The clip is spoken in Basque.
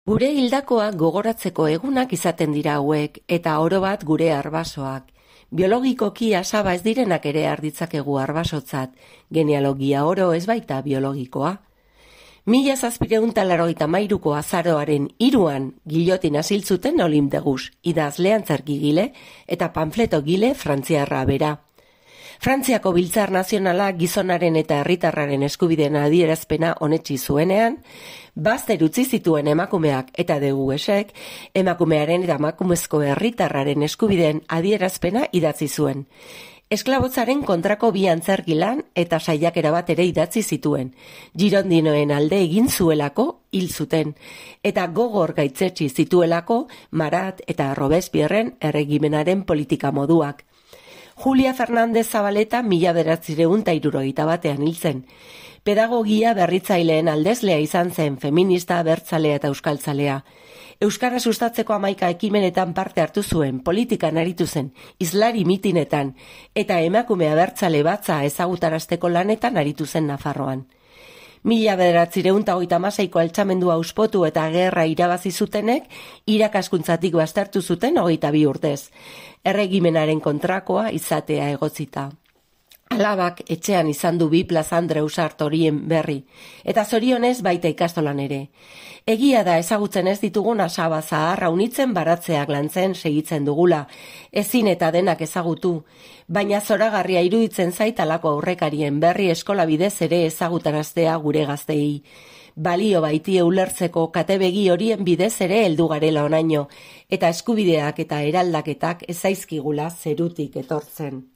Gure hildakoak gogoratzeko egunak izaten dira hauek, eta oro bat gure arbasoak. Biologikoki asaba ez direnak ere arditzakegu arbasotzat, genealogia oro ez baita biologikoa. 1783ko azaroaren 3 gilotin asiltzuten Olim Degus, idazle antzerkigile eta panfletogile frantziarra bera. Frantziako Biltzar Nazionala gizonaren eta herritarraren eskubideen adierazpena onetsi zuenean, bazter utzi zituen emakumeak eta Degusek emakumearen eta emakumezko herritarraren eskubideen adierazpena idatzi zuen. Esklabotzaren kontrako 2 antzerki lan eta saiakera bat ere idatzi zituen. Girondinoen alde egin zuelako hil zuten, eta gogor gaitzetsi zituelako Marat eta Robespierren erregimenaren politika moduak. Julia Fernández Zabaleta 1971 hil zen. Pedagogia berritzaileen aldezlea izan zen, feminista, abertzalea eta euskaltzalea. Euskara sustatzeko 11 ekimenetan parte hartu zuen, politikan aritu zen, hizlari mitinetan, eta emakume abertzale batza ezagutarazteko lanetan aritu zen Nafarroan. 1936ko altxamendua auspotu eta gerra irabazi zutenek irakaskuntzatik baztertu zuten 22 urtez. Erregimenaren kontrakoa izatea egotzita. Alabak etxean izan du 2 plazandre usart horien berri, eta zorionez baita ikastolan ere. Egia da ezagutzen ez ditugun asaba zaharra unitzen baratzeak lantzen segitzen dugula, ezin eta denak ezagutu, baina zoragarria iruditzen zait alako aurrekarien berri eskola bidez ere ezagutaraztea gure gazteei. Balio baitie ulertzeko katebegi horien bidez ere heldu garela onaino, eta eskubideak eta eraldaketak ez zaizkigula zerutik etortzen.